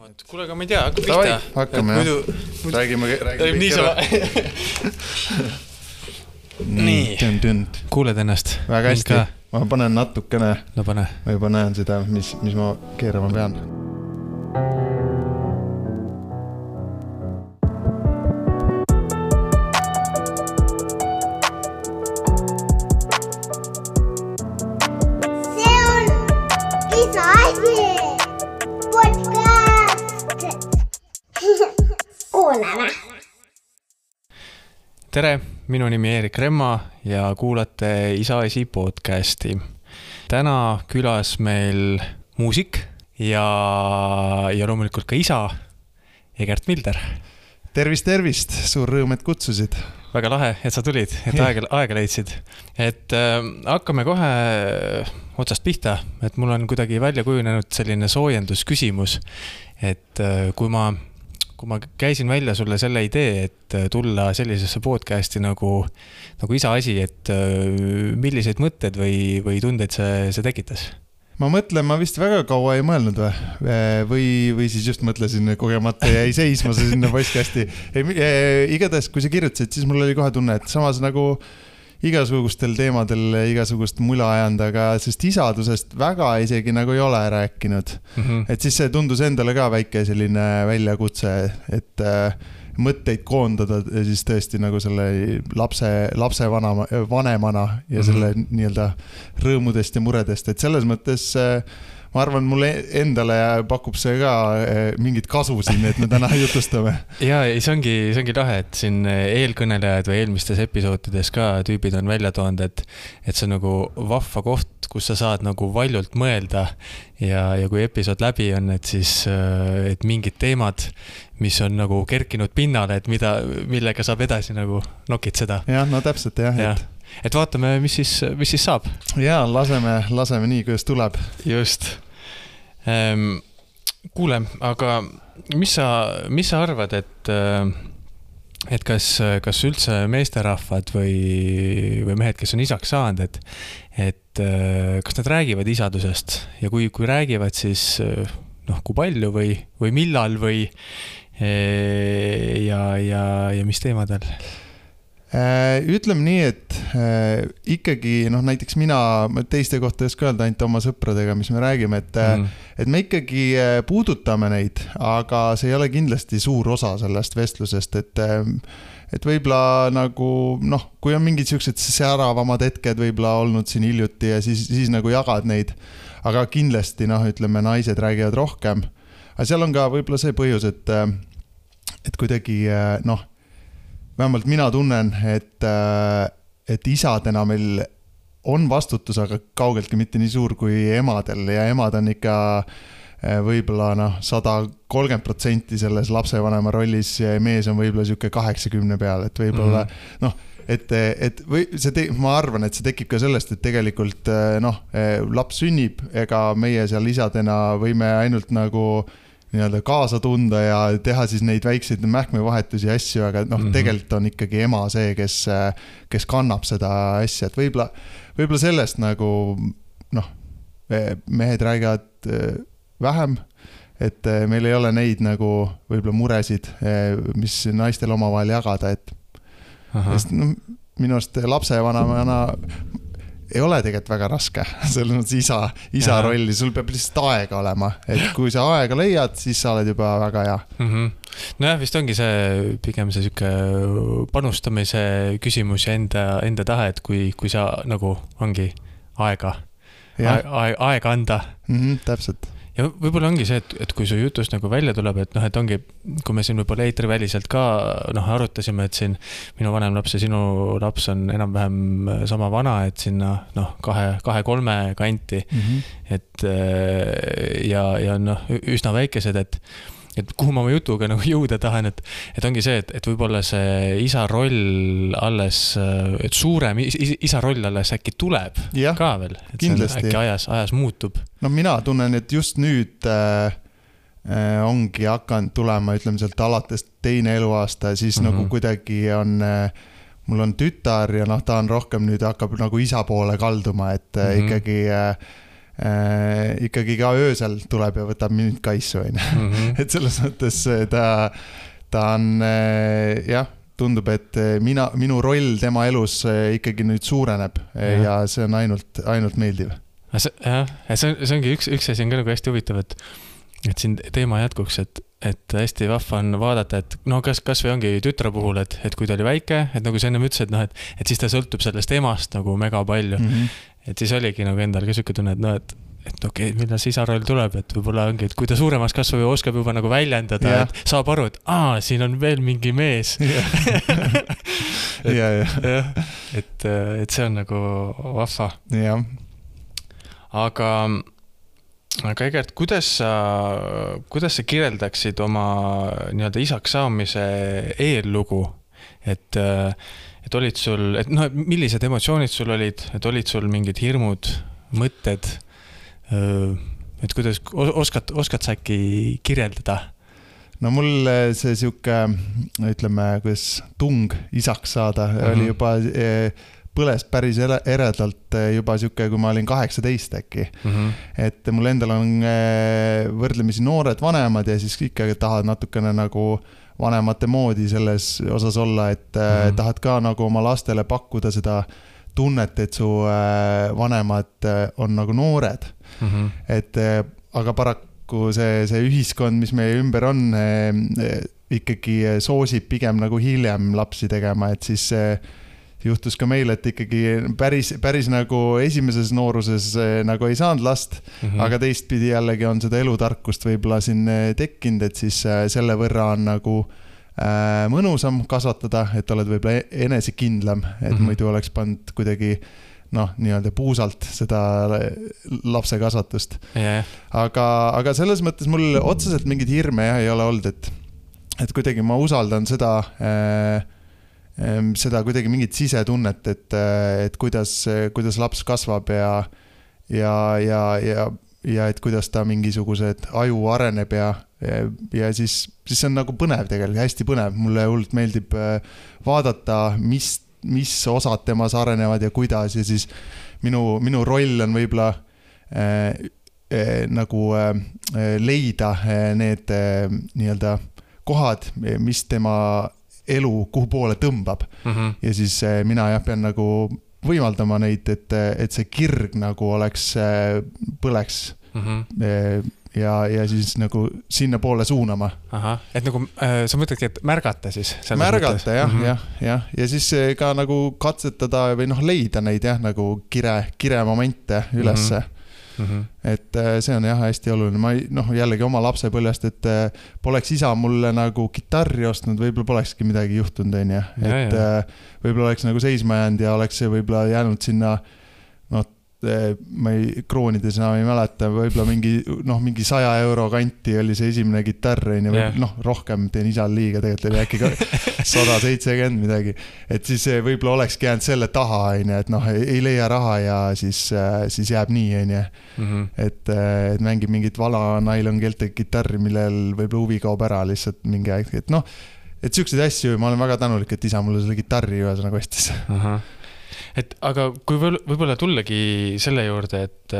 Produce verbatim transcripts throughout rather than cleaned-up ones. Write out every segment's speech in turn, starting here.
Kuule, aga ma ei tea, hakka pihta. Hakkame, jah. Muidu, muidu... Räägime, räägime nii sama. Nii, kuuled ennast? Väga hästi. Ma panen natukene. No pane. Ma juba näen seda, mis, mis ma keerama pean. See on isa asi. Kuuleme. Tere, minu nimi Eerik Remma ja kuulate Isa Asi podcasti. Täna külas meil muusik ja, ja loomulikult ka isa Egert Milder. Tervist, tervist, suur rõõm, et kutsusid. Väga lahe, et sa tulid, et aega, aega leidsid. Et äh, hakkame kohe otsast pihta, et mul on kuidagi välja kujunenud selline soojendusküsimus, et äh, kui ma kui ma käisin välja sulle selle idee, et tulla sellisesse podcasti nagu, nagu Isa Asi, et milliseid mõtted või, või tundeid see, see tekitas? Ma mõtlen, ma vist väga kaua ei mõelnud või, või, või siis just mõtlesin kogemata ja ei seisma see sinna podcasti. Igatahes, kui sa kirjutasid, siis mul oli kohe tunne, et samas nagu igasugustel teemadel igasugust mula ajanud, aga sest isadusest väga isegi nagu ei ole rääkinud. Mm-hmm. Et siis see tundus endale ka väike selline väljakutse, et äh, mõtteid koondada siis tõesti nagu selle lapse, lapse vanama, vanemana ja selle mm-hmm. nii-öelda rõõmudest ja muredest. Et selles mõttes äh, ma arvan, mulle endale pakub see ka mingit kasu siin, et me täna jutustame. Ja, see ongi, see ongi lahe, et siin eelkõnelejad või eelmistes episoodides ka tüübid on välja toonud, et, et see on nagu vahva koht, kus sa saad nagu valjult mõelda ja, ja kui episood läbi on, et siis et mingid teemad, mis on nagu kerkinud pinnale, et mida, millega saab edasi nagu nokid seda. Ja, no täpselt jah, ja. et Et vaatame, mis siis, mis siis saab. Jaa, laseme, laseme nii, kuidas tuleb. Just. Ehm, kuule, aga mis sa, mis sa arvad, et, et kas, kas üldse meesterahvad või, või mehed, kes on isaks saanud, et, et kas nad räägivad isadusest ja kui, kui räägivad, siis noh, kui palju või, või millal või ja, ja, ja mis teemadel? Ütleme nii, et äh, ikkagi, noh näiteks mina teiste kohta ei oska öelda ainult oma sõpradega, mis me räägime, et, mm. et me ikkagi puudutame neid, aga see ei ole kindlasti suur osa sellest vestlusest, et, et võib-olla nagu, noh, kui on mingid siuksed säravamad hetked võib-olla olnud siin hiljuti ja siis, siis nagu jagad neid, aga kindlasti, noh, ütleme, naised räägivad rohkem, aga seal on ka võib-olla see põhjus, et, et kuidagi, noh, vähemalt mina tunnen, et, et isadena meil on vastutus, aga kaugeltki mitte nii suur kui emadel ja emad on ikka võib-olla noh, sada kolmkümmend protsenti selles lapsevanema rollis ja mees on võib-olla siuke kaheksakümne peal, et võib-olla mm-hmm. noh, et, et või see te, ma arvan, et see tekib ka sellest, et tegelikult noh, laps sünnib, ega meie seal isadena võime ainult nagu nii-öelda kaasa tunda ja teha siis neid väikseid mähkmevahetusi ja asju, aga noh, mm-hmm. tegelikult on ikkagi ema see, kes, kes kannab seda asja, et võib-olla, võib-olla sellest nagu noh, mehed räägivad vähem, et meil ei ole neid nagu võib-olla muresid, mis naistel omavahel jagada, et sest, no, minu arust lapse vanamana ei ole tegelikult väga raske, selles mõttes isa, isa rolli, sul peab lihtsalt aega olema, et kui sa aega leiad, siis sa oled juba väga hea. Mm-hmm. No jah, vist ongi see pigem see süke panustamise küsimus ja enda, enda tahe, et kui, kui sa nagu ongi aega, aega, aega anda. Mm-hmm, täpselt. Ja võib-olla ongi see, et, et kui su jutust nagu välja tuleb, et noh, et ongi, kui me siin võib-olla eetriväliselt ka noh, arutasime, et siin minu vanem laps ja sinu laps on enam-vähem sama vana, et sinna noh, kahe, kahe, kolme kanti, mm-hmm. et ja, ja noh, üsna väikesed, et et kuhu ma oma jutuga nagu jõuda tahan, et, et ongi see, et, et võib-olla see isa roll alles, et suurem isa roll alles äkki tuleb ja, ka veel, et kindlasti. See äkki ajas, ajas muutub. No mina tunnen, et just nüüd äh, ongi hakanud tulema, ütleme sealt alates teine eluaasta, siis mm-hmm. nagu kuidagi on äh, mul on tütar ja noh, ta on rohkem nüüd hakkab nagu isa poole kalduma, et mm-hmm. ikkagi äh, äh, ikkagi ka öösel tuleb ja võtab mind kaisu, on. Mm-hmm. et selles mõttes ta, ta on äh, jah, tundub, et mina, minu roll tema elus ikkagi nüüd suureneb ja, ja see on ainult, ainult meeldiv. See, jah, see, on, see ongi üks, üks asi on ka nagu hästi huvitav, et, et siin teema jätkuks, et, et hästi vahva on vaadata, et no kas, kas või ongi tütre puhul, et, et kui ta oli väike, et nagu sa ennem ütlesid, no, et, et siis ta sõltub sellest emast nagu mega palju. Mm-hmm. Et siis oligi nagu endal ka süke tunne, et no, et et okei, okay, millal see isaroll tuleb, et võib-olla ongi, et kui ta suuremaks kasvab ja oskab juba nagu väljendada, yeah. et saab aru, et aa, siin on veel mingi mees. et, ja, ja. et, et see on nagu vahva. jah. Aga, aga Egert, kuidas sa, kuidas sa kirjeldaksid oma nii-öelda isaks saamise eellugu, et, et olid sul, et noh, millised emotsioonid sul olid, et olid sul mingid hirmud, mõtted, et kuidas, oskad, oskad sa äkki kirjeldada? No mul see siuke, ütleme, kuidas tung isaks saada mm-hmm. oli juba põles päris eredalt juba siuke, kui ma olin kaheksateist äkki. Mm-hmm. Et mul endal on võrdlemisi noored vanemad ja siis ikka tahad natukene nagu vanemate moodi selles osas olla, et mm-hmm. tahad ka nagu oma lastele pakkuda seda tunnet, et su vanemad on nagu noored. Mm-hmm. Et aga paraku see, see ühiskond, mis meie ümber on, ikkagi soosib pigem nagu hiljem lapsi tegema, et siis juhtus ka meil, et ikkagi päris, päris nagu esimeses nooruses nagu ei saanud last, mm-hmm. aga teistpidi jällegi on seda elutarkust võib-olla siin tekkinud, et siis selle võrra on nagu mõnusam kasvatada, et oled võib-olla enesekindlam, et mm-hmm. muidu oleks pannud kuidagi noh, nii-öelda puusalt seda lapse kasvatust. Yeah. Aga, aga selles mõttes mul otseselt mingid hirme jah, ei ole olnud, et, et kuidagi ma usaldan seda, äh, seda kuidagi mingit sisetunnet, et, et kuidas, kuidas laps kasvab ja, ja, ja, ja, ja et kuidas ta mingisugused aju areneb ja Ja, ja siis, siis see on nagu põnev tegelikult, hästi põnev. Mulle hullult meeldib vaadata, mis, mis osad temas arenevad ja kuidas ja siis minu, minu roll on võib-olla äh, äh, nagu äh, leida need äh, nii-öelda kohad, mis tema elu kuhu poole tõmbab. Mm-hmm. Ja siis äh, mina jah, pean nagu võimaldama neid, et, et see kirg nagu oleks äh, põleks mm-hmm. äh, ja, ja siis nagu sinna poole suunama. Aha, et nagu äh, sa mõtledki, et märgata siis? Märgata, jah, mm-hmm. jah, jah. Ja siis ka nagu katsetada või noh, leida neid jah, nagu kire, kire momente ülesse. Mm-hmm. Et see on jah, hästi oluline. Ma noh, jällegi oma lapsepõljast, et poleks isa mulle nagu kitarri ostnud, võib-olla polekski midagi juhtunud, on ja. Et ja, ja. võib-olla oleks nagu seisma jäänud ja oleks see võib-olla jäänud sinna noh, ma ei, kroonides enam ei mäleta, võib-olla mingi, noh, mingi saja euro kanti oli see esimene kitarr, yeah. noh, rohkem teen isal liiga, tegelikult oli äkki ka sada seitsekümmend midagi, et siis võib-olla olekski jäänud selle taha, et noh, ei leia raha ja siis, siis jääb nii, mm-hmm. et, et mängib mingit vala nailon keelte kitarri, millel võib-olla huvi kaob ära lihtsalt mingi aeg, et noh, et siukseid asju, ma olen väga tänulik, et isa mulle selle kitarri ühesõnaga ostis. Aha. Et aga kui võib-olla tullagi selle juurde, et,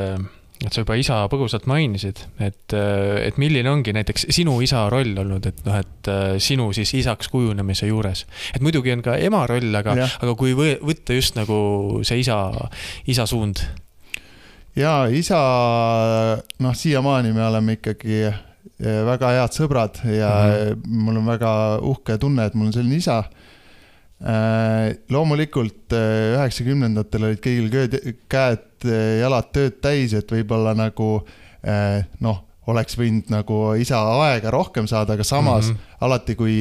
et sa juba isa põgusalt mainisid, et, et milline ongi näiteks sinu isa roll olnud, et, noh, et sinu siis isaks kujunemise juures. Et muidugi on ka ema roll, aga, aga kui võtta just nagu see isa, isa suund? Ja isa, noh, siiamaani me oleme ikkagi väga head sõbrad ja mm-hmm. mul on väga uhke tunne, et mul on selline isa. Loomulikult üheksakümnendatel olid kõigil käed jalad tööd täis, et võib-olla nagu noh, oleks võinud nagu isa aega rohkem saada, aga samas mm-hmm. alati kui,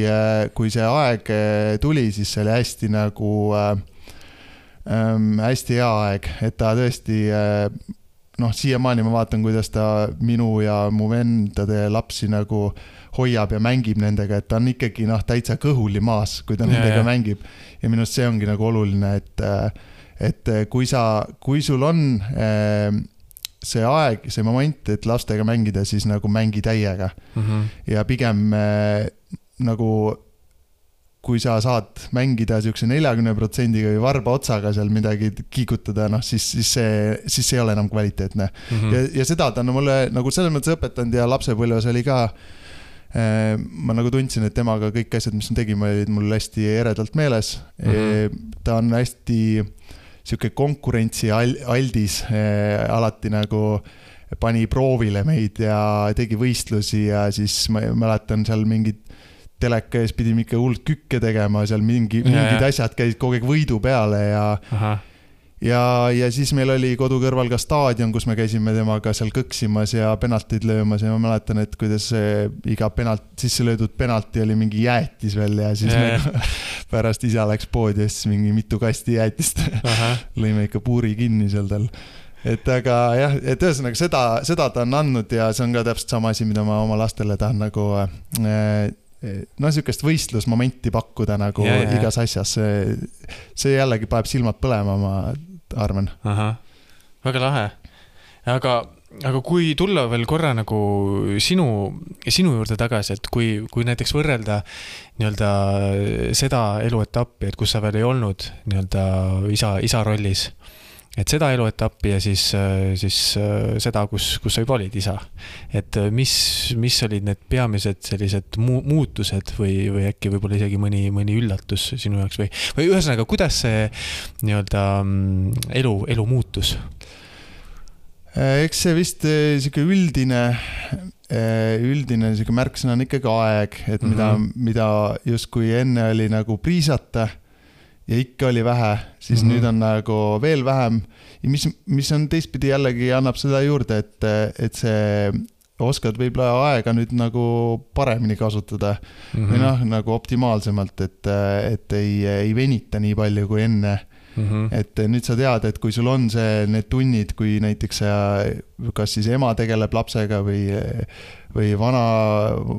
kui see aeg tuli, siis see oli hästi nagu ähm, hästi hea aeg, et ta tõesti noh, siiamaani ma vaatan, kuidas ta minu ja mu vendade lapsi nagu hoiab ja mängib nendega, et ta on ikkagi noh, täitsa kõhuli maas, kui ta ja, nendega ja. mängib. Ja minust see ongi nagu oluline, et, et kui, sa, kui sul on see aeg, see moment, et lastega mängida, siis nagu mängi täiega. Mm-hmm. Ja pigem nagu kui sa saad mängida siukse neljakümne protsendiga või varba otsaga seal midagi kiigutada, noh siis, siis, see, siis see ei ole enam kvaliteetne. Mm-hmm. Ja, ja seda ta on mulle nagu selles mõttes õpetanud ja lapsepõlves oli ka, eh, ma nagu tundsin, et temaga kõik asjad, mis me tegime, olid mul hästi eredalt meeles. Mm-hmm. Ta on hästi siuke konkurentsi aldis, eh, alati nagu pani proovile meid ja tegi võistlusi ja siis ma mäletan seal mingid teleka ees pidime ikka hullult kükke tegema, seal mingi, ja, mingid ja. asjad käisid kogu aeg võidu peale ja, ja, ja siis meil oli kodu kõrval ka staadion, kus me käisime temaga seal kõksimas ja penaltid löömas ja ma mäletan, et kuidas iga penalt, sisse löödud penalti oli mingi jäätis veel ja siis ja, me pärast isa läks poodi ja siis mingi mitu kasti jäätist lõime ikka puuri kinni seal tal. Et aga jah, et ühesõnaga seda, seda ta on andnud ja see on ka täpselt sama asi, mida ma oma lastele tahan nagu no siukest võistlusmomenti pakkuda nagu ja, ja. igas asjas. See, see jällegi paneb silmad põlema, ma arvan. Aha, väga lahe. Aga, aga kui tulla veel korra nagu sinu, sinu juurde tagasi, et kui, kui näiteks võrrelda nii-öelda seda eluetappi, et kus sa veel ei olnud nii-öelda isa, isa rollis, et seda eluetappi ja siis, siis seda, kus, kus sa juba olid isa. Et mis, mis olid need peamised sellised mu- muutused või, või äkki võib-olla isegi mõni, mõni üllatus sinu jaoks või, või ühesõnaga, kuidas see nii-öelda elu, elu muutus? Eks see vist siuke üldine, üldine siuke märksõna on ikkagi aeg, et mm-hmm. mida, mida just kui enne oli nagu priisata ja ikka oli vähe, siis mm-hmm. nüüd on nagu veel vähem. Ja mis, mis on teistpidi jällegi annab seda juurde, et, et see oskad võib-olla aega nüüd nagu paremini kasutada mm-hmm. või noh, nagu optimaalsemalt, et, et ei, ei venita nii palju kui enne. Mm-hmm. Et nüüd sa tead, et kui sul on see, need tunnid, kui näiteks sa, kas siis ema tegeleb lapsega või, või vana,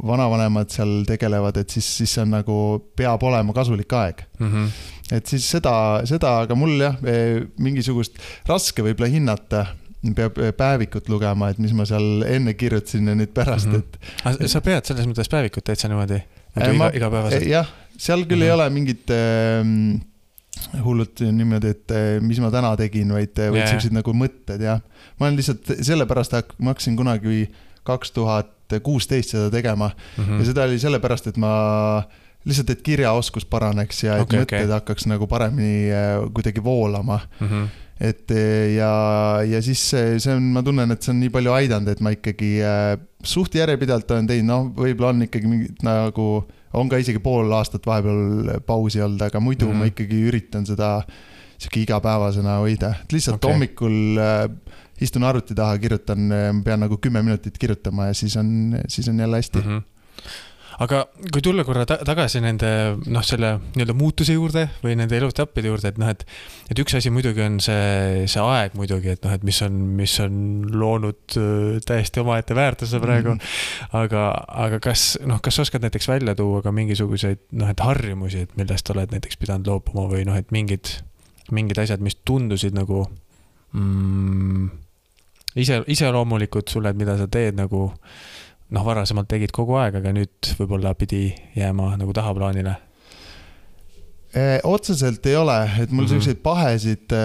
vanavanemad seal tegelevad, et siis, siis see on nagu, peab olema kasulik aeg. Mm-hmm. Et siis seda, seda, aga mul jah, mingisugust raske võib-olla hinnata, peab päevikut lugema, et mis ma seal enne kirjutasin ja nüüd pärast, mm-hmm. et... Sa pead selles mõttes päevikut täitsa niimoodi? Nagu iga, iga päevaselt? Jah, seal küll mm-hmm. ei ole mingit äh, hullult niimoodi, et mis ma täna tegin, vaid, vaid yeah. sellised nagu mõtted, jah. Ma olen lihtsalt sellepärast, ma hakkasin kunagi kaks tuhat kuusteist seda tegema mm-hmm. ja seda oli sellepärast, et ma... lihtsalt, et kirjaoskus paraneks ja et okay, mõtted okay. hakkaks nagu paremini kuidagi voolama. Mm-hmm. Et ja, ja siis see on, ma tunnen, et see on nii palju aidanud, et ma ikkagi suht järjepidalt olen teinud, noh, võib-olla on ikkagi mingit nagu, on ka isegi pool aastat vahepeal pausi olnud, aga muidu mm-hmm. ma ikkagi üritan seda siuke igapäevasena hoida. Et lihtsalt okay. hommikul istun arvuti taha, kirjutan, pean nagu kümme minutit kirjutama ja siis on, siis on jälle hästi. Mm-hmm. Aga kui tulla korra ta- tagasi nende, noh, selle nii-öelda muutuse juurde või nende elutappide juurde, et noh, et, et üks asi muidugi on see, see aeg muidugi, et noh, et mis on, mis on loonud täiesti omaette väärtuse praegu, mm-hmm. aga, aga kas, noh, kas oskad näiteks välja tuua ka mingisuguseid, noh, et harjumusi, et millest oled näiteks pidanud loopuma või noh, et mingid, mingid asjad, mis tundusid nagu mm, ise, ise loomulikud sulle, et mida sa teed nagu noh, varasemalt tegid kogu aeg, aga nüüd võib-olla pidi jääma nagu tahaplaanile? E, otseselt ei ole, et mul mm-hmm. selliseid pahesid,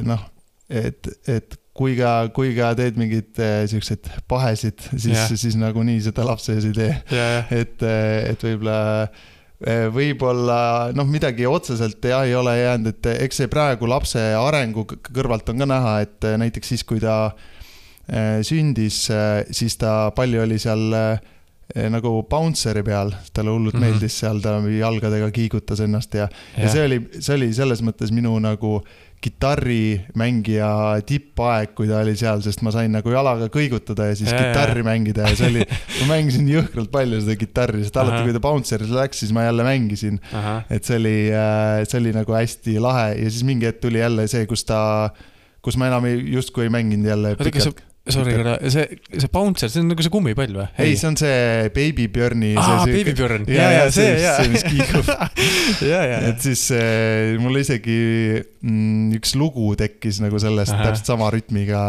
noh, et, et kui ka, kui ka teed mingid sellised pahesid, siis, yeah. siis nagu nii seda lapse ees ei tee. Yeah. Et, et võib-olla, võib-olla, noh, midagi otseselt ja ei ole jäänud, et eks see praegu lapse arengu kõrvalt on ka näha, et näiteks siis, kui ta sündis, siis ta palju oli seal nagu bounceri peal, talle hullult mm-hmm. meeldis seal, ta jalgadega kiigutas ennast ja, ja. ja see oli, see oli selles mõttes minu nagu kitarrimängija tippaeg, kui ta oli seal, sest ma sain nagu jalaga kõigutada ja siis ja, kitarri ja. mängida ja see oli, ma mängisin jõhkralt palju seda kitarri, sest alati kui ta bounceris läks, siis ma jälle mängisin. Aha. Et see oli, see oli nagu hästi lahe ja siis mingi hetk tuli jälle see, kus ta, kus ma enam ei, justkui ei mänginud jälle pikalt. sorry, see, see bouncer, see on nagu see kummipall või? Ei, see on see Baby Björni. Aa, Baby Björn. Ja, ja, see, see, see, mis kiigub. ja, ja, et siis äh, mul isegi mm, üks lugu tekkis nagu sellest Aha. täpselt sama rütmiga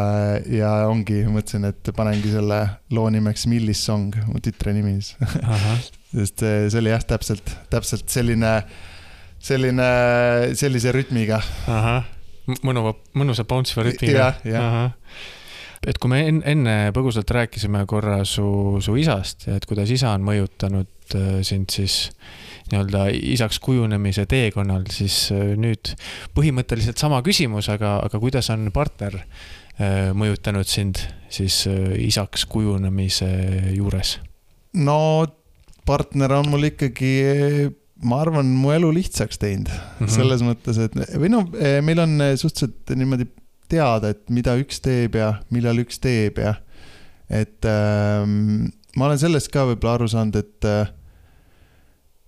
ja ongi, mõtlesin, et panengi selle loo nimeks Millis Song, mu tütre nimi. Sest see oli jah, täpselt, täpselt selline, selline, sellise rütmiga. Aha. Mõnuva, mõnusa bounce rütmiga. Ja, ja. Aha. Et kui me enne põgusalt rääkisime korra su, su isast, et kuidas isa on mõjutanud sind siis nii-öelda isaks kujunemise teekonnal, siis nüüd põhimõtteliselt sama küsimus, aga, aga kuidas on partner mõjutanud sind siis isaks kujunemise juures? No partner on mul ikkagi, ma arvan, mu elu lihtsaks teinud. Mm-hmm. Selles mõttes, et või no, meil on suhteliselt niimoodi teada, et mida üks teeb ja millal üks teeb ja et ähm, ma olen sellest ka võib-olla aru saanud, et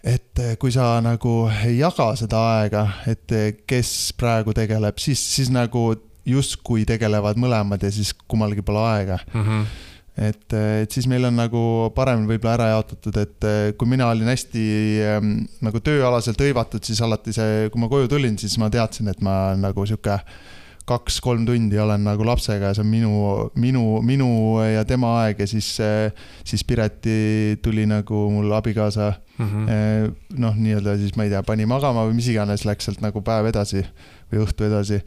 et kui sa nagu ei jaga seda aega, et kes praegu tegeleb, siis, siis nagu justkui tegelevad mõlemad ja siis kummalgi pole aega. Mm-hmm. Et, et siis meil on nagu parem võib-olla ära jaotatud, et kui mina olin hästi ähm, nagu tööalaselt hõivatud, siis alati see, kui ma koju tulin, siis ma teadsin, et ma nagu siuke kaks-kolm tundi olen nagu lapsega ja see on minu, minu, minu ja tema aeg ja siis, siis Pireti tuli nagu mul abikaasa mm-hmm. noh, nii-öelda siis ma ei tea, pani magama või mis iganes läks sealt nagu päev edasi või õhtu edasi.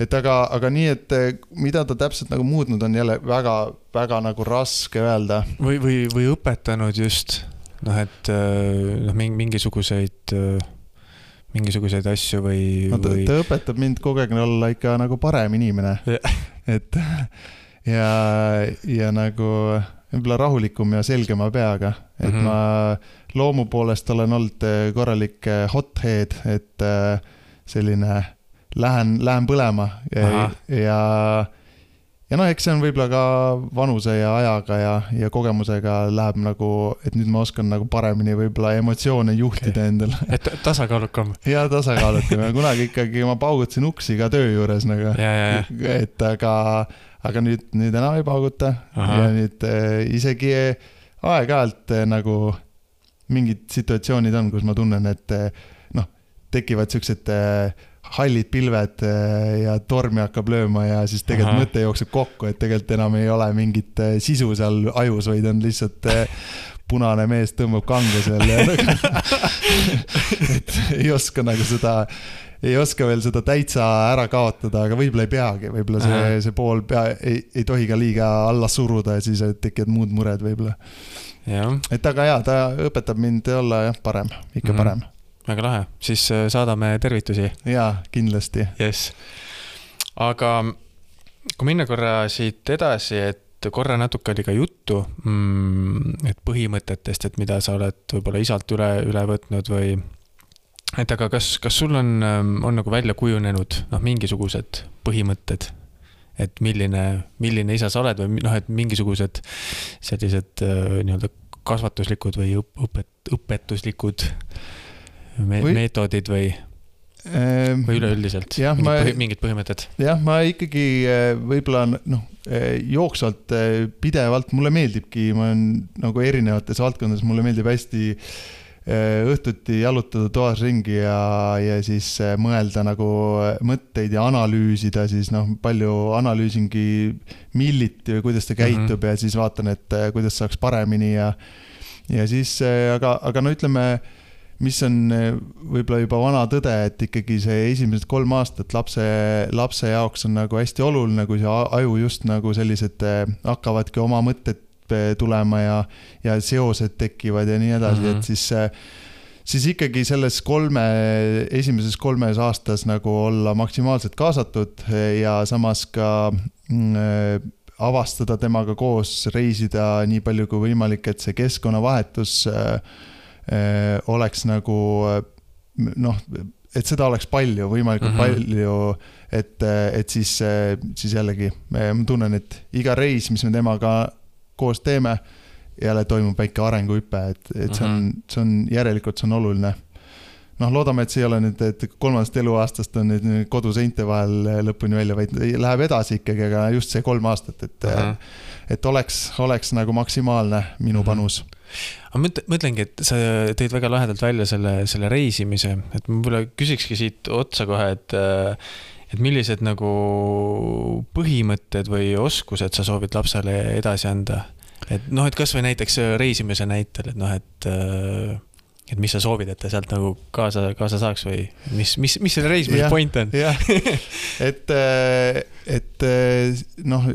Et aga, aga nii, et mida ta täpselt nagu muutnud on jälle väga, väga nagu raske öelda. Või, või, või õpetanud just, noh, et noh, mingisuguseid mingisuguseid asju või, no, ta, või... ta õpetab mind kogu aeg olla ikka nagu parem inimene. et ja, ja nagu võib-olla rahulikum ja selgema peaga. Et mm-hmm. ma loomu poolest olen olnud korralik hothead, et selline lähen, lähen põlema ja, ja ja noh, eks see on võib-olla ka vanuse ja ajaga ja, ja kogemusega läheb nagu, et nüüd ma oskan nagu paremini võib-olla emotsioone juhtida okay. endale. Et tasakaalukam. Ja tasakaalukam. Kunagi ikkagi ma paugutasin uksi ka töö juures nagu. Ja, ja, ja. Et aga, aga nüüd, nüüd enam ei pauguta. Aha. Ja nüüd äh, isegi aeg-ajalt äh, nagu mingid situatsioonid on, kus ma tunnen, et äh, noh, tekivad siuksed äh, hallid pilved ja tormi hakkab lööma ja siis tegelikult Aha. mõte jookseb kokku, et tegelikult enam ei ole mingit sisu seal ajus, vaid on lihtsalt punane mees tõmbab kange seal ja et ei oska nagu seda, ei oska veel seda täitsa ära kaotada, aga võib-olla ei peagi, võib-olla see, see pool pea, ei, ei tohi ka liiga alla suruda ja siis tekivad muud mured võib-olla. Ja. Et aga jaa, ta õpetab mind olla jah, parem, ikka mm-hmm. parem. Väga lahe, siis saadame tervitusi. Jaa, kindlasti. Yes. Aga kui minna korra siit edasi, et korra natuke oli ka juttu, et põhimõtetest, et mida sa oled võib-olla isalt üle, üle võtnud või et aga kas, kas sul on, on nagu välja kujunenud noh, mingisugused põhimõtted, et milline, milline isa sa oled või noh, et mingisugused sellised nii-öelda kasvatuslikud või õpet, õpetuslikud Me- või, meetodid või, ähm, või üleüldiselt jah, mingid, ma, põhi, mingid põhimõtted? Jah, ma ikkagi võib-olla noh, jooksvalt pidevalt, mulle meeldibki, ma olen nagu erinevates valdkondades, mulle meeldib hästi õhtuti jalutada toas ringi ja, ja siis mõelda nagu mõtteid ja analüüsida, siis noh, palju analüüsingi milliti või kuidas ta käitub mm-hmm. ja siis vaatan, et kuidas saaks paremini ja, ja siis, aga, aga no ütleme, mis on võib-olla juba vana tõde, et ikkagi see esimesed kolm aastat lapse, lapse jaoks on nagu hästi oluline, kui see aju just nagu sellised hakkavadki oma mõtted tulema ja, ja seosed tekivad ja nii edasi, mm-hmm. et siis, siis ikkagi selles kolme, esimeses kolmes aastas nagu olla maksimaalselt kaasatud ja samas ka mm, avastada temaga koos, reisida nii palju kui võimalik, et see keskkonnavahetus oleks nagu noh, et seda oleks palju, võimalikult mm-hmm. palju, et, et siis, siis jällegi ma tunnen, et iga reis, mis me temaga koos teeme, jälle toimub väike arenguhüpe, et, et see on, see on järelikult see on oluline. noh, loodame, et see ei ole nüüd, et kolmandast eluaastast on nüüd koduseinte vahel lõpuni välja, vaid läheb edasi ikkagi, aga just see kolm aastat, et, uh-huh. et oleks, oleks nagu maksimaalne minu panus. Aga mõtlengi, et sa teid väga lahedalt välja selle, selle reisimise, et ma võib-olla küsikski siit otsa kohe, et et millised nagu põhimõtted või oskused sa soovid lapsele edasi anda? Et noh, et kas või näiteks reisimise näitel, et noh, et, et mis sa soovid, et ta sealt nagu kaasa, kaasa saaks või mis, mis, mis selle reisimise point on? et, et noh,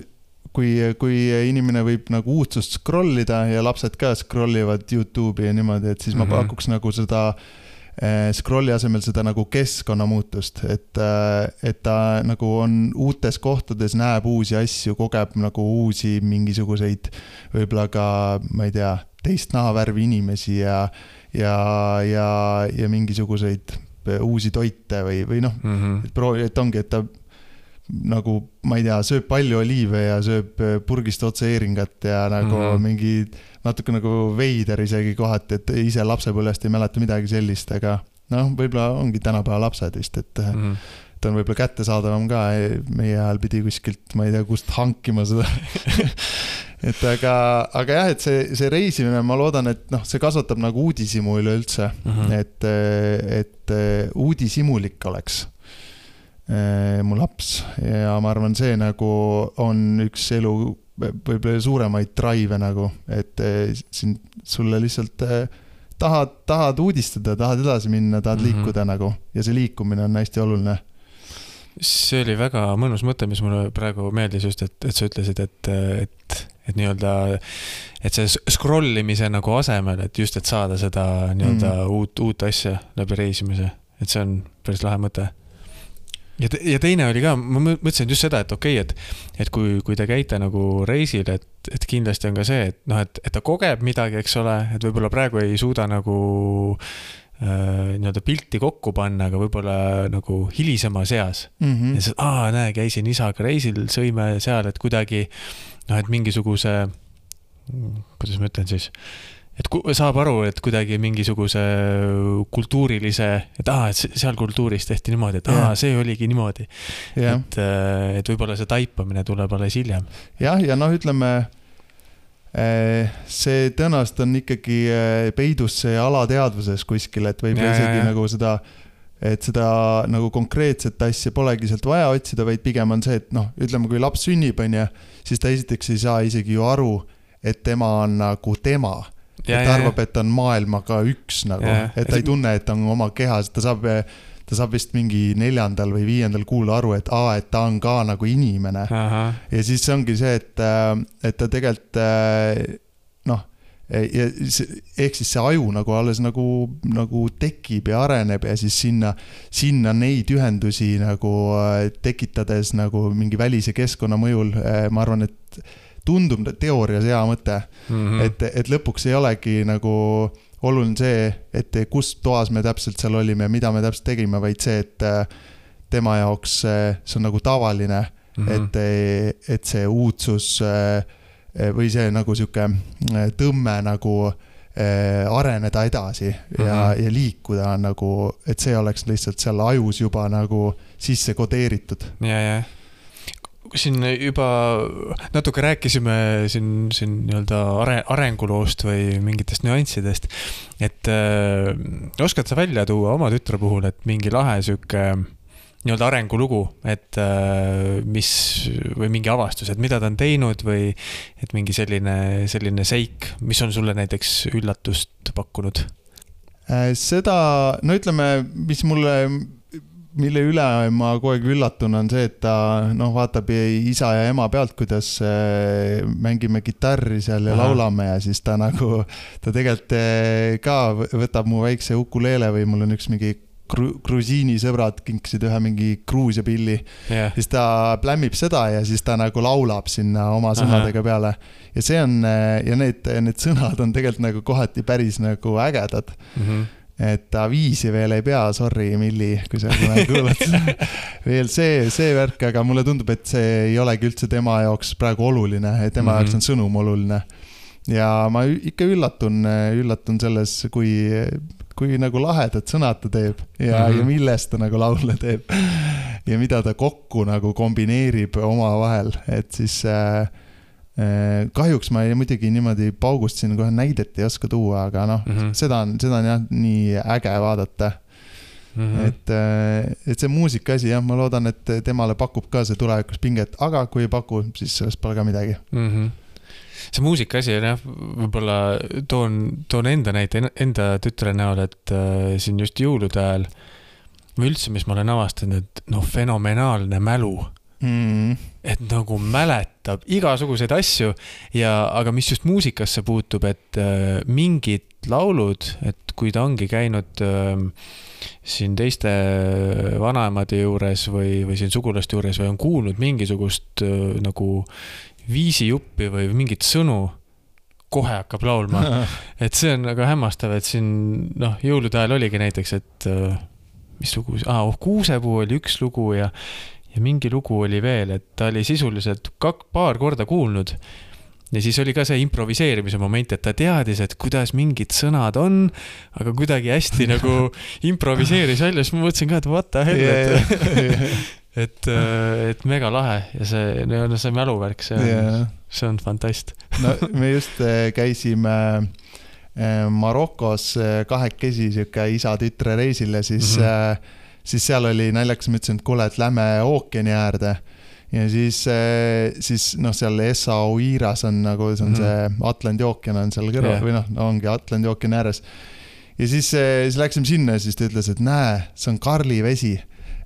kui, kui inimene võib nagu uudsust scrollida ja lapsed ka scrollivad YouTube'i ja niimoodi, et siis ma mm-hmm. pakuks nagu seda scrolli asemel seda nagu keskkonnamuutust, et, et ta nagu on uutes kohtades, näeb uusi asju, kogeb nagu uusi mingisuguseid võib-olla ka, ma ei tea, teist nahavärvi inimesi ja, ja, ja, ja mingisuguseid uusi toite või, või noh, mm-hmm. et proovi, et ongi, et ta nagu, ma ei tea, sööb palju oliive ja sööb purgist otse eeringat ja nagu mm-hmm. mingi natuke nagu veider isegi kohati, et ise lapsepõlvest ei mäleta midagi sellist, aga noh, võib-olla ongi tänapäeva lapsed vist, et mm-hmm. ta on võib-olla kättesaadavam ka, meie ajal pidi kuskilt, ma ei tea, kust hankima seda et aga, aga jah, et see, see reisimine, ma loodan, et noh, see kasvatab nagu uudisimu üleüldse, mm-hmm. et, et uudisimulik oleks mu laps ja ma arvan, see nagu on üks elu võib-olla suuremaid drive nagu, et siin sulle lihtsalt tahad, tahad uudistada, tahad edasi minna, tahad mm-hmm. liikuda nagu ja see liikumine on hästi oluline. See oli väga mõnus mõte, mis mulle praegu meeldis just, et, et sa ütlesid, et, et, et nii-öelda, et see scrollimise nagu asemel, et just, et saada seda nii-öelda mm. uut, uut asja läbi reisimise, et see on päris lahe mõte. Ja, te, ja teine oli ka, ma mõtlesin just seda, et okei, okay, et, et kui, kui te käite nagu reisil, et, et kindlasti on ka see, et, no, et, et ta kogeb midagi, eks ole, et võib-olla praegu ei suuda nagu äh, nii-öelda pilti kokku panna, aga võib-olla nagu hilisema seas. Mm-hmm. Ja siis, aa, näe, käisin isaga reisil, sõime seal, et kuidagi, noh, et mingisuguse, kuidas ma ütlen siis, et saab aru, et kuidagi mingisuguse kultuurilise, et aa, et seal kultuuris tehti niimoodi, et aa, see oligi niimoodi. Yeah. Et, et võib-olla see taipamine tuleb alles hiljem. Jah, ja noh, ütleme, see tõenäoliselt on ikkagi peidus see alateadvuses kuskil, et võib ja, isegi ja, ja. nagu seda, et seda nagu konkreetset asja polegi sealt vaja otsida, vaid pigem on see, et noh, ütleme, kui laps sünnib, on ja, siis ta esiteks ei saa isegi ju aru, et tema on nagu tema. Ja, et ta arvab, et on maailmaga üks nagu, ja, et ta ei tunne, et ta on oma kehas, ta saab, ta saab vist mingi neljandal või viiendal kuul aru, et aa, et ta on ka nagu inimene. Aha. Ja siis ongi see, et, et ta tegelikult noh, ehk siis see aju nagu alles nagu, nagu tekib ja areneb ja siis sinna, sinna neid ühendusi nagu tekitades nagu mingi välise keskkonna mõjul, ma arvan, et tundub teoorias hea mõte, mm-hmm. et, et lõpuks ei olegi nagu oluline see, et kus toas me täpselt seal olime ja mida me täpselt tegime, vaid see, et tema jaoks see on nagu tavaline, mm-hmm. et, et see uudsus või see nagu siuke tõmme nagu areneda edasi ja, mm-hmm. ja liikuda nagu, et see oleks lihtsalt seal ajus juba nagu sisse kodeeritud. Ja, ja. Siin juba natuke rääkisime siin, siin nii-öelda arenguloost või mingitest nüanssidest, et äh, oskad sa välja tuua oma tütre puhul, et mingi lahe süke nii-öelda arengulugu, et äh, mis või mingi avastus, et mida ta on teinud või et mingi selline, selline seik, mis on sulle näiteks üllatust pakkunud? Seda, no ütleme, mis mulle mille üle ma kogu aeg üllatun on see, et ta noh, vaatab isa ja ema pealt, kuidas mängime kitarri seal ja Aha. laulame ja siis ta nagu, ta tegelikult ka võtab mu väikse ukuleele või mul on üks mingi grusiini sõbrad kinksid ühe mingi Gruusia pilli. Yeah. Siis ta plämmib seda ja siis ta nagu laulab sinna oma sõnadega Aha. peale. Ja see on, ja need, need sõnad on tegelikult nagu kohati päris nagu ägedad. Mm-hmm. Et ta viisi veel ei pea, sorry Milli, kui sa kuulad veel see, see värk, aga mulle tundub, et see ei olegi üldse tema jaoks praegu oluline, et tema mm-hmm. jaoks on sõnum oluline. Ja ma ikka üllatun, üllatun selles, kui, kui nagu lahedad sõnad ta teeb ja, mm-hmm. ja millest ta nagu laule teeb ja mida ta kokku nagu kombineerib oma vahel, et siis äh, äh, kahjuks ma ei muidugi niimoodi paugust siin kohe näidet ei oska tuua, aga noh, mm-hmm. seda on, seda on jah nii äge vaadata. Mm-hmm. Et, et see muusika asi, jah, ma loodan, et temale pakub ka see tulevikus pinget, aga kui ei paku, siis sellest pole ka midagi. Mm-hmm. See muusika asi, jah, võib-olla toon, toon enda näite, enda tütre näol, et äh, siin just jõulude ajal või üldse, mis ma olen avastanud, et noh, fenomenaalne mälu. Mm. Et nagu mäletab igasuguseid asju ja, aga mis just muusikasse puutub, et äh, mingid laulud, et kui ta ongi käinud äh, siin teiste vanaemade juures või, või siin sugulaste juures või on kuulnud mingisugust äh, nagu viisijuppi või mingit sõnu, kohe hakkab laulma. Et see on väga hämmastav, et siin noh, jõulude ajal oligi näiteks, et äh, mis lugu, ah, oh, Kuusepuu oli üks lugu ja ja mingi lugu oli veel, et ta oli sisuliselt kak, paar korda kuulnud ja siis oli ka see improviseerimise moment, et ta teadis, et kuidas mingid sõnad on, aga kuidagi hästi nagu improviseeris välja, siis ma mõtlesin ka, et what the hell, yeah, et, et, et mega lahe ja see, no, see mäluvärk, see on, yeah. see on fantast. No, me just käisime Marokos kahekesi siuke isa-tütre reisile, siis mm-hmm. siis seal oli naljakas, ma ütlesin, et kuule, et lähme ookeani äärde ja siis, siis noh, seal Essaouiras on nagu, see on mm-hmm. see Atlandi ookean on seal kõrval yeah. või noh, ongi Atlandi ookeani ääres ja siis, siis läksime sinna ja siis ta ütles, et näe, see on Karli vesi,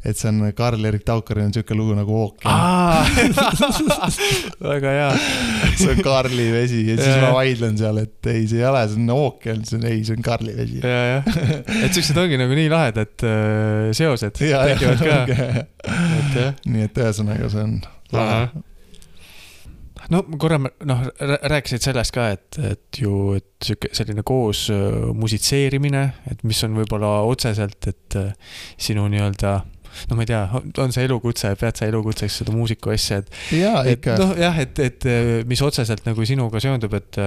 et see on Karl-Erik Taukari on siuke lugu nagu ookean. Väga hea. See on Karli vesi ja siis ma vaidlen seal, et ei, see ei ole, see on ookean, see on, ei, see on Karli vesi. Ja, ja. Et siuksed ongi nagu nii lahedad äh, seosed tekivad ka. Et, nii et ühesõnaga see on lahe. No korra noh, rääkisid sellest ka, et, et ju et selline koos musitseerimine, et mis on võib-olla otseselt, et sinu nii-öelda no ma ei tea, on see elukutse, pead sa elukutseks seda muusiku asja, et, ja, et noh, jah, et, et mis otseselt nagu sinuga seondub, et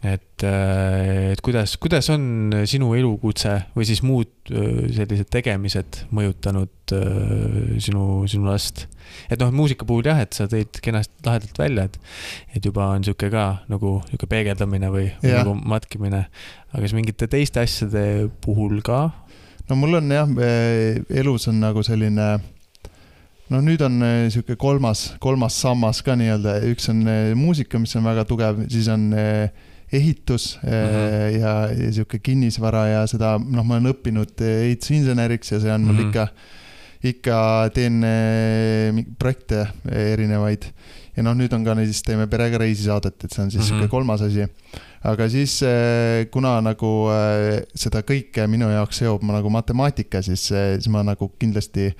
et, et kuidas, kuidas on sinu elukutse või siis muud sellised tegemised mõjutanud sinu, sinu last? Et noh, muusika puhul jah, et sa tõid kenast lahedalt välja, et, et juba on siuke ka nagu siuke peegeldamine või, või nagu matkimine, aga siis mingite teiste asjade puhul ka? No mul on jah, elus on nagu selline, no nüüd on siuke kolmas, kolmas sammas ka nii-öelda, üks on muusika, mis on väga tugev, siis on ehitus uh-huh. ja, ja siuke kinnisvara ja seda, noh, ma olen õppinud ehitusinseneriks ja see on mul uh-huh. ikka, ikka teen projekte erinevaid ja noh, nüüd on ka siis teeme perega reisisaadet, et see on siis uh-huh. siuke kolmas asi. Aga siis kuna nagu seda kõike minu jaoks seob ma nagu matemaatika, siis, siis ma nagu kindlasti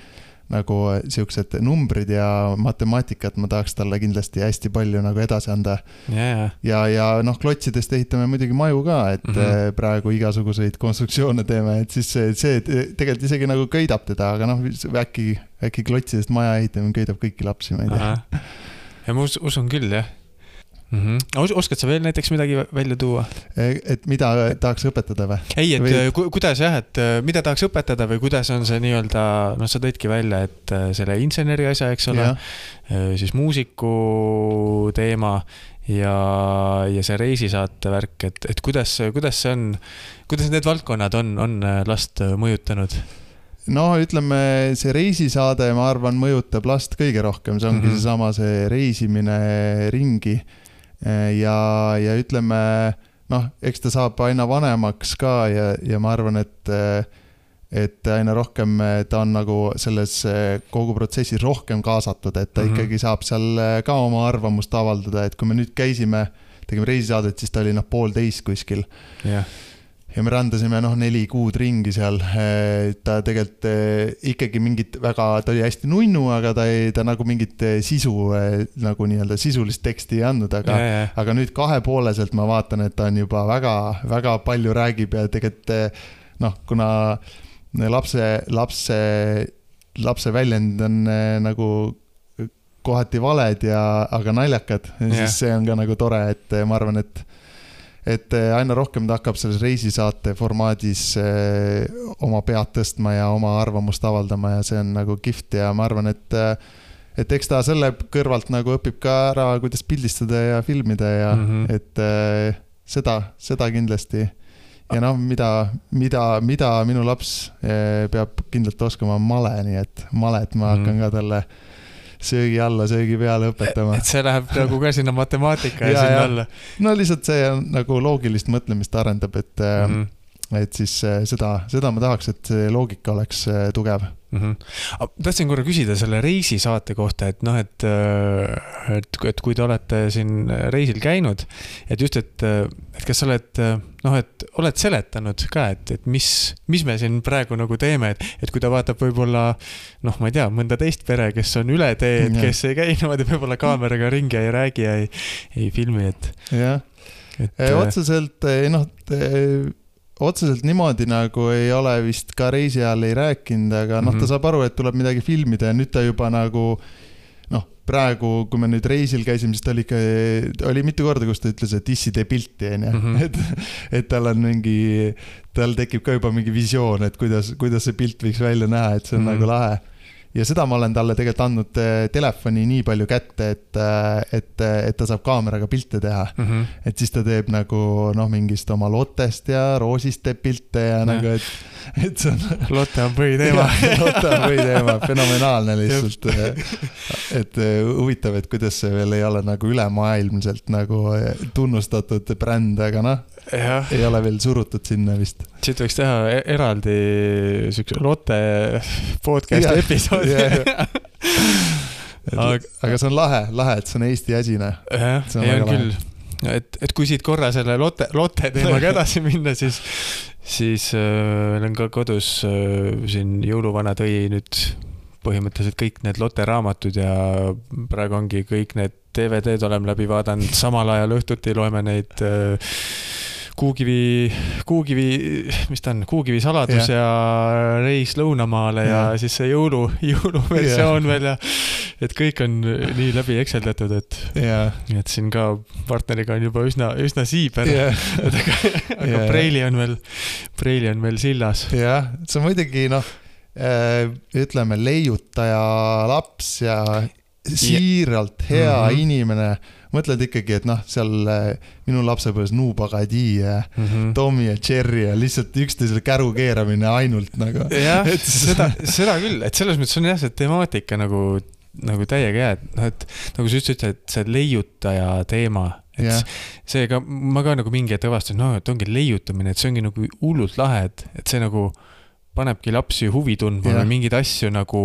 nagu siuksed numbrid ja matemaatikat ma tahaks talle kindlasti hästi palju nagu edasi anda. Yeah. Ja, ja noh, klotsidest ehitame muidugi maju ka, et mm-hmm. praegu igasuguseid konstruktsioone teeme, et siis see, see tegelikult isegi nagu köidab teda, aga noh, äkki, äkki klotsidest maja ehitame köidab kõiki lapsi, ma ei tea. Ja ma usun küll, jah. Mm-hmm. Oskad sa veel näiteks midagi välja tuua? Et mida tahaks õpetada või? Ei, et või... Ku, kuidas jah, et mida tahaks õpetada või kuidas on see nii-öelda, noh sa tõidki välja, et selle inseneri asja, eks ole, siis muusiku teema ja, ja see reisisaate värk, et, et kuidas, kuidas see on, kuidas need valdkonnad on, on last mõjutanud? No ütleme, see reisisaade, ma arvan, mõjutab last kõige rohkem, see ongi mm-hmm. seesama see reisimine ringi ja, ja ütleme, noh, eks ta saab aina vanemaks ka ja, ja ma arvan, et, et aina rohkem ta on nagu selles kogu protsessis rohkem kaasatud, et ta mm-hmm. ikkagi saab seal ka oma arvamust avaldada, et kui me nüüd käisime, tegime reisisaadet, siis ta oli noh poolteist kuskil. jah. Yeah. Ja me randasime noh neli kuud ringi seal, ta tegelikult ikkagi mingit väga, ta oli hästi nunnu, aga ta, ei, ta nagu mingit sisu, nagu nii-öelda sisulist teksti ei andnud, aga, ja, ja. aga nüüd kahepooleselt ma vaatan, et ta on juba väga, väga palju räägib ja tegelikult noh, kuna lapse, lapse, lapse väljend on nagu kohati valed ja, aga naljakad, siis ja. See on ka nagu tore, et ma arvan, et et aina rohkem ta hakkab selles reisisaate formaadis oma pead tõstma ja oma arvamust avaldama ja see on nagu kihvt ja ma arvan, et et eks ta selle kõrvalt nagu õpib ka ära, kuidas pildistada ja filmida ja mm-hmm. et seda, seda kindlasti. Ja noh, mida, mida, mida minu laps peab kindlalt oskama male, nii et malet ma hakkan mm. ka talle söögi alla, söögi peale õpetama. Et see läheb nagu ka sinna matemaatika ja, ja sinna alla. No lihtsalt see on nagu loogilist mõtlemist arendab, et, mm. et siis seda, seda ma tahaks, et see loogika oleks tugev. Mm-hmm. Tahtsin korra küsida selle reisisaate kohta, et noh, et, et, et kui te olete siin reisil käinud, et just, et, et kas sa oled, noh, et oled seletanud ka, et, et mis, mis me siin praegu nagu teeme, et, et kui ta vaatab võib-olla, noh, ma ei tea, mõnda teist pere, kes on üle teed, kes ei käi niimoodi võib-olla kaameraga ringi ja ei räägi ja ei, ei filmi, et... Jah, et, otseselt, noh, otseselt niimoodi nagu ei ole vist ka reisi ajal ei rääkinud, aga noh, ta saab aru, et tuleb midagi filmida ja nüüd ta juba nagu, noh, praegu, kui me nüüd reisil käisime, siis ta oli ikka, oli mitu korda, kus ta ütles, et issi tee pilti, on, mm-hmm. et, et tal on mingi, tal tekib ka juba mingi visioon, et kuidas, kuidas see pilt võiks välja näha, et see on mm-hmm. nagu lahe. Ja seda ma olen talle tegelikult andnud telefoni nii palju kätte, et, et, et ta saab kaameraga pilte teha. Mm-hmm. Et siis ta teeb nagu noh, mingist oma Lottest ja Roosist teeb pilte ja ja. Nagu, et, et see on... Lotte on põhiteema. Lotte on põhiteema, fenomenaalne lihtsalt. Et huvitav, et kuidas see veel ei ole nagu ülemaailmselt nagu tunnustatud bränd, aga noh, ja. Ei ole veel surutud sinna vist. Siit võiks teha eraldi sükse Lotte podcast ja. Episoodi. Ja, ja. aga, aga see on lahe, lahe, et see on Eesti asine. Jah, ei on küll. Et, et kui siit korra selle Lotte, Lotte teemaga edasi minna, siis, siis äh, on ka kodus äh, siin jõuluvana tõi nüüd põhimõtteliselt kõik need Lotte raamatud ja praegu ongi kõik need D V D-d oleme läbi vaadanud, samal ajal õhtuti loeme neid äh, Kuukivi, Kuukivi, mis ta on, Kuukivi saladus ja, ja reis lõunamaale ja, ja siis see jõulu, jõuluversioon ja. Veel ja et kõik on nii läbi ekseldatud, et, et siin ka partneriga on juba üsna, üsna siiber, ja. Et aga, aga ja. Preili on veel, Preili on veel sillas. Jah, see on muidugi, noh, ütleme, leiutaja laps ja siiralt hea mm-hmm. inimene. Mõtled ikkagi, et noh, seal minu lapsepões Nuubagadi ja mm-hmm. Tommy ja Jerry ja lihtsalt üksteisele käru keeramine ainult nagu. Jah, et seda, seda küll, et selles mõttes on jah see temaatika nagu, nagu täiega hea, et, noh, et nagu sa ütlesid, et see leiutaja teema, et yeah. see ka, ma ka nagu mingi ette avastan, no, et ongi leiutamine, et see ongi nagu hullult lahe, et, et see nagu panebki lapsi huvi tundma ja. Või mingid asju nagu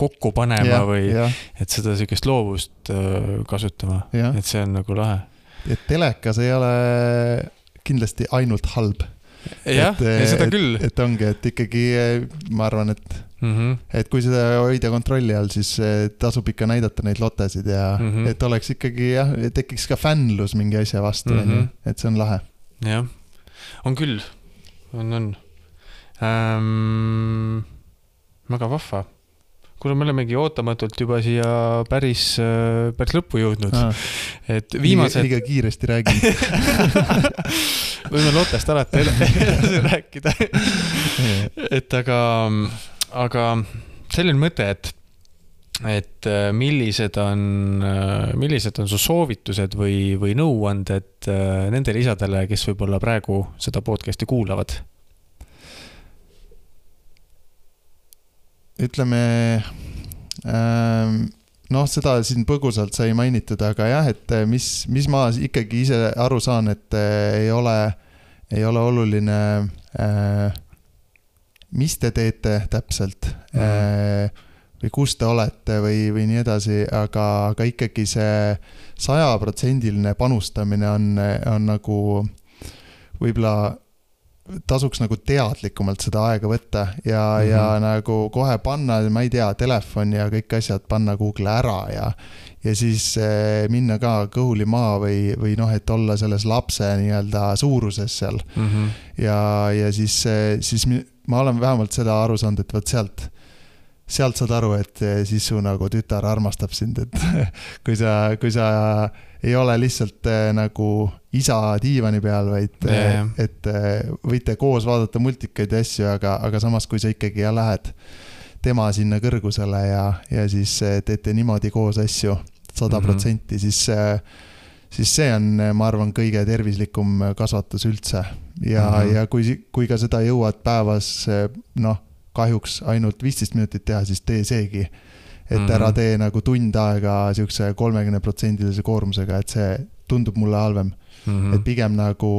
kokku panema ja, või ja. Et seda sellist loovust kasutama, ja. Et see on nagu lahe. Et telekas ei ole kindlasti ainult halb. Jah, et, ja seda et, küll. Et ongi, et ikkagi ma arvan, et, mm-hmm. et kui seda hoida kontrolli all, siis tasub ikka näidata neid lotesid ja mm-hmm. et oleks ikkagi, jah, tekiks ka fännlus mingi asja vastu, mm-hmm. et see on lahe. Jah, on küll, on, on. Ähm, väga vahva. Kuule, me olemegi ootamatult juba siia päris, päris lõppu jõudnud. Ah. Et viimased... Liiga kiiresti räägin. Võime Lottest alati edasi rääkida. Et aga, aga selline mõte, et, et millised on, millised on su soovitused või, või nõuanded nendele isadele, kes võib-olla praegu seda podcasti kuulavad? Ütleme, noh, seda siin põgusalt sai mainitud, aga jah, et mis, mis ma ikkagi ise aru saan, et ei ole, ei ole oluline, mis te teete täpselt mm. või kus te olete või, või nii edasi, aga, aga ikkagi see sajaprotsendiline panustamine on, on nagu võib-olla tasuks nagu teadlikumalt seda aega võtta ja, mm-hmm. ja nagu kohe panna, ma ei tea, telefon ja kõik asjad panna Google ära ja, ja siis eh, minna ka kõhuli maa või, või noh, et olla selles lapse nii-öelda suuruses seal. Mm-hmm. Ja, ja siis, siis ma olen vähemalt seda aru saanud, et võt sealt, sealt saad aru, et siis su nagu tütar armastab sind, et kui sa, kui sa ei ole lihtsalt äh, nagu isa diivani peal, vaid yeah. et äh, võite koos vaadata multikaid ja asju, aga, aga samas kui sa ikkagi ja lähed tema sinna kõrgusele ja, ja siis teete niimoodi koos asju sada protsenti, siis, siis see on, ma arvan, kõige tervislikum kasvatus üldse. Ja, mm-hmm. ja kui, kui ka seda jõuad päevas, noh, kahjuks ainult viisteist minutit teha, siis tee seegi. Et mm-hmm. ära tee nagu tund aega siukse kolmekümne protsendilise koormusega, et see tundub mulle halvem. Mm-hmm. Et pigem nagu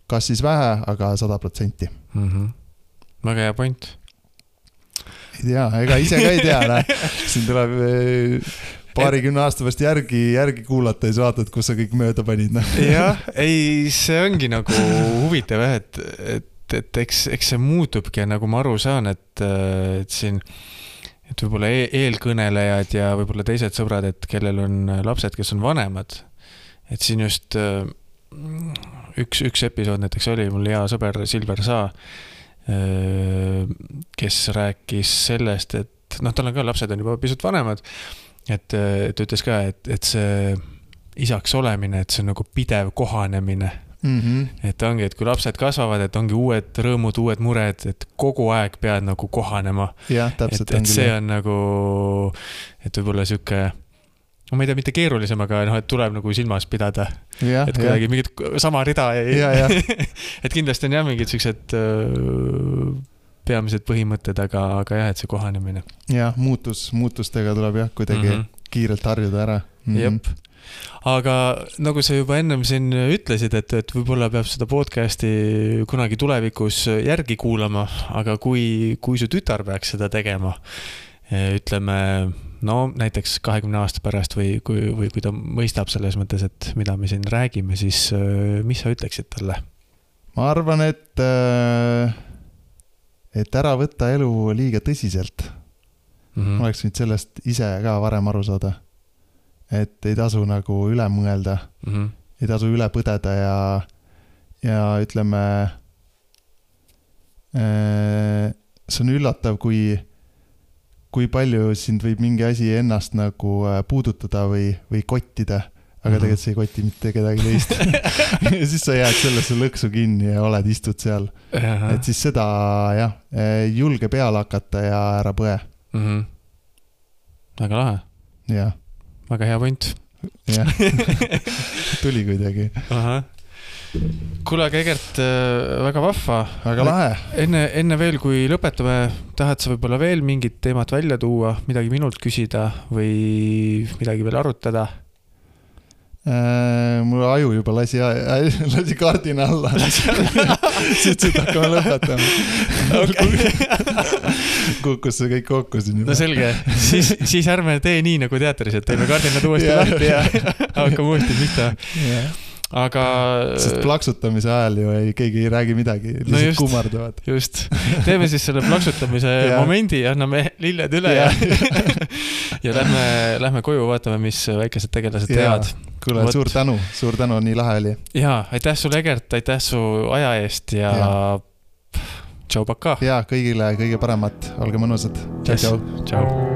kas siis vähe, aga sada protsenti. Mm-hmm. Väga hea point. Ei tea, ega ise ka ei tea. Siin tuleb paarikümne aasta pärast järgi, järgi kuulata ja siis vaatad, kus sa kõik mööda panid. Jah, ei, see ongi nagu huvitav, et, et, et eks, eks see muutubki, nagu ma aru saan, et, et siin et võib-olla eelkõnelejad ja võib-olla teised sõbrad, et kellel on lapsed, kes on vanemad, et siin just üks, üks episood näiteks oli, mul hea sõber Silver Saa, kes rääkis sellest, et noh, tal on ka lapsed on juba pisut vanemad, et, et ütles ka, et, et see isaks olemine, et see on nagu pidev kohanemine. Mm-hmm. Et ongi, et kui lapsed kasvavad, et ongi uued rõõmud, uued mured, et kogu aeg pead nagu kohanema. Ja, täpselt, et, et see on nagu, et võib-olla siuke, no ma ei tea, mitte keerulisem, aga noh, et tuleb nagu silmas pidada. Ja, et kuidagi ja. Mingid sama rida ei, ja, ja. et kindlasti on jah mingid siuksed uh, peamised põhimõtted, aga, aga jah, et see kohanemine. Ja, muutus, muutustega tuleb jah kuidagi mm-hmm. kiirelt harjuda ära. Mm-hmm. Jep. Aga nagu sa juba ennem siin ütlesid, et, et võib-olla peab seda podcasti kunagi tulevikus järgi kuulama, aga kui, kui su tütar peaks seda tegema, ütleme, no näiteks kahekümne aasta pärast või kui, või kui ta mõistab selles mõttes, et mida me siin räägime, siis mis sa ütleksid talle? Ma arvan, et, et ära võtta elu liiga tõsiselt. Mm-hmm. Ma oleks võinud sellest ise ka varem aru saada. Et ei tasu nagu üle mõelda, mm-hmm. ei tasu üle põdeda ja, ja ütleme, see on üllatav, kui, kui palju sind võib mingi asi ennast nagu puudutada või, või kottida, aga mm-hmm. tegelikult see ei koti mitte kedagi teist. ja siis sa jääd sellesse lõksu kinni ja oled, istud seal. Aha. Et siis seda, jah, julge peale hakata ja ära põe. Mm-hmm. Väga lahe. Jah. Väga hea point. Jah, tuli kuidagi. Aha. Kuule, aga Egert, väga vahva. Väga lahe. Enne, enne veel, kui lõpetame, tahad sa võib-olla veel mingit teemat välja tuua, midagi minult küsida või midagi veel arutada? Äh, mul aju juba lasi, lasi kaardina alla. Siis nüüd hakkame lõpetama. Okay. Kukkus see kõik kokku siin juba. No selge, siis, siis ärme tee nii nagu teatris, et teeme kaardinad uuesti yeah. lahti ja hakkame uuesti pihta. Yeah. Aga... Sest plaksutamise ajal ju ei, keegi ei räägi midagi, lihtsalt no just, kummardavad. Just, teeme siis selle plaksutamise yeah. momendi ja anname lilled üle yeah. ja, ja lähme, lähme koju, vaatame, mis väikesed tegelased yeah. teavad. Kuule, Võt. suur tänu, suur tänu, nii lahe oli. Jaa, aitäh sulle, Egert, aitäh su aja eest ja, ja. Tšau, paka. Ja kõigile kõige paremat, olge mõnusad. Tšau, yes. tšau. Tšau.